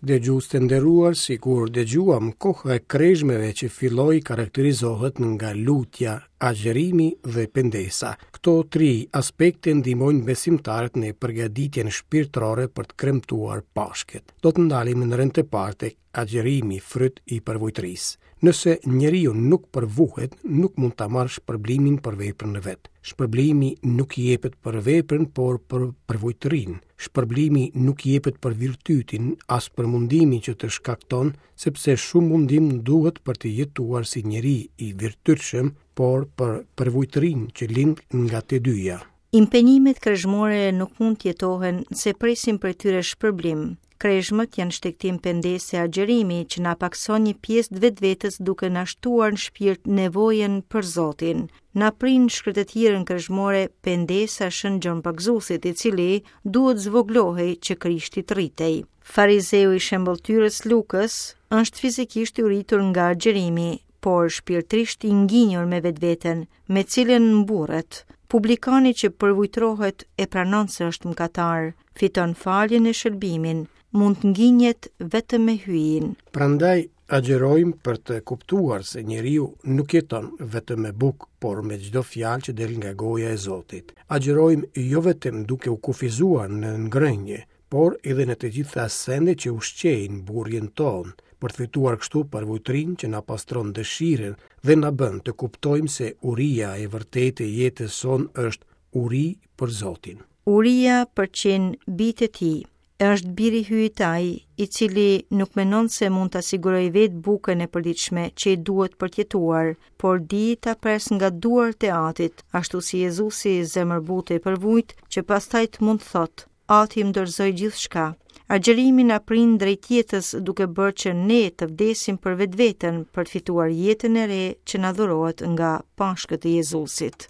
Dëgjues të nderuar, sikur dëgjuam, koha e krezhmeve që filloi karakterizohet nga lutja, agjërimi dhe pendesa. Këto tri aspekte ndihmojnë besimtarët në përgatitjen shpirtërore për të kremtuar Pashkët. Do të ndalemi në rend të parë tek agjërimi fryt i përvujtërisë. Nëse njeriu nuk përvuhet, nuk mund ta marrë shpërblimin për veprën e vet. Shpërblimi nuk jepet për veprën, por për përvujtërinë. Shpërblimi nuk jepet për virtytin, as për mundimin që të shkakton, sepse shumë mundim duhet për të jetuar si njeri i virtytshëm, por për përvujtërinë që lind nga të dyja. Impenjimet krezhmore nuk mund të jetohen nëse presim prej tyre shpërblim. Krezhmët janë shtegtim pendese e agjërimi që na pakëson një pjesë të vetvetes duke na shtuar në shpirt nevojën për Zotin. Na prin shkretëtirën krezhmore pendesa e Shën Gjon Pagëzuesit, i cili duhet zvogëlohej që Krishti të rritej. Farizeu i shembëlltyrës Lukës është fizikisht i uritur nga agjërimi, por shpirtërisht i nginjur me vetveten, me cilën mburret. Publikani që përvujtrohet e pranon se është mëkatar, fiton faljen e shëlbimin, mund të nginjet vetëm me Hyjin. Prandaj agjërojmë për të kuptuar se njeriu nuk jeton vetëm me bukë, por me çdo fjalë që del nga goja e Zotit. Agjërojmë jo vetëm duke u kufizuar në ngrënie, por edhe në të gjitha sendet që ushqejnë mburrjen tonë, për të fituar kështu përvujtërinë që na pastron dëshirën dhe na bën të kuptojmë se uria e vërtetë e jetës sonë është uri për Zotin. Uria për të qenë bijtë e tij, është biri i Hyjit ai, i cili nuk mendon se mund ta sigurojë vetë bukën e përditshme që i duhet për të jetuar, por di ta presë nga duart e Atit, ashtu si Jezusi zemërbutë e përvujt, që pastaj të mund të thotë, Ati më dorëzoi gjithçka. Agjërimi na prin drejt jetës duke bërë që ne të vdesim për vetveten për të fituar jetën e re që na dhurohet nga Pashkët e Jezusit.